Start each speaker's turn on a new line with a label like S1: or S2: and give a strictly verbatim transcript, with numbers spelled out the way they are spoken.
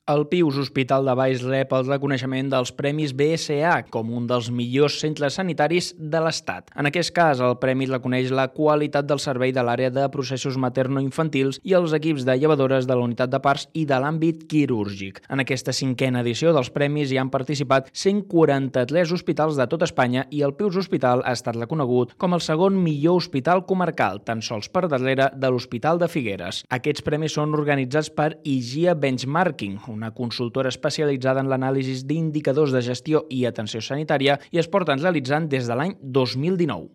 S1: El Pius Hospital de Valls rep el reconeixement dels Premis B S A com un dels millors centres sanitaris de l'Estat. En aquest cas, el premi reconeix la qualitat del servei de l'àrea de processos materno-infantils i els equips de llevadores de la unitat de parts i de l'àmbit quirúrgic. En aquesta cinquena edició dels premis hi han participat cent quaranta-tres hospitals de tot Espanya i el Pius Hospital ha estat reconegut com el segon millor hospital comarcal, tan sols per darrere de l'Hospital de Figueres. Aquests premis són organitzats per I G I A Benchmarking, una consultora especialitzada en l'anàlisi d'indicadors de gestió i atenció sanitària, i es porten realitzant des de l'any dos mil dinou.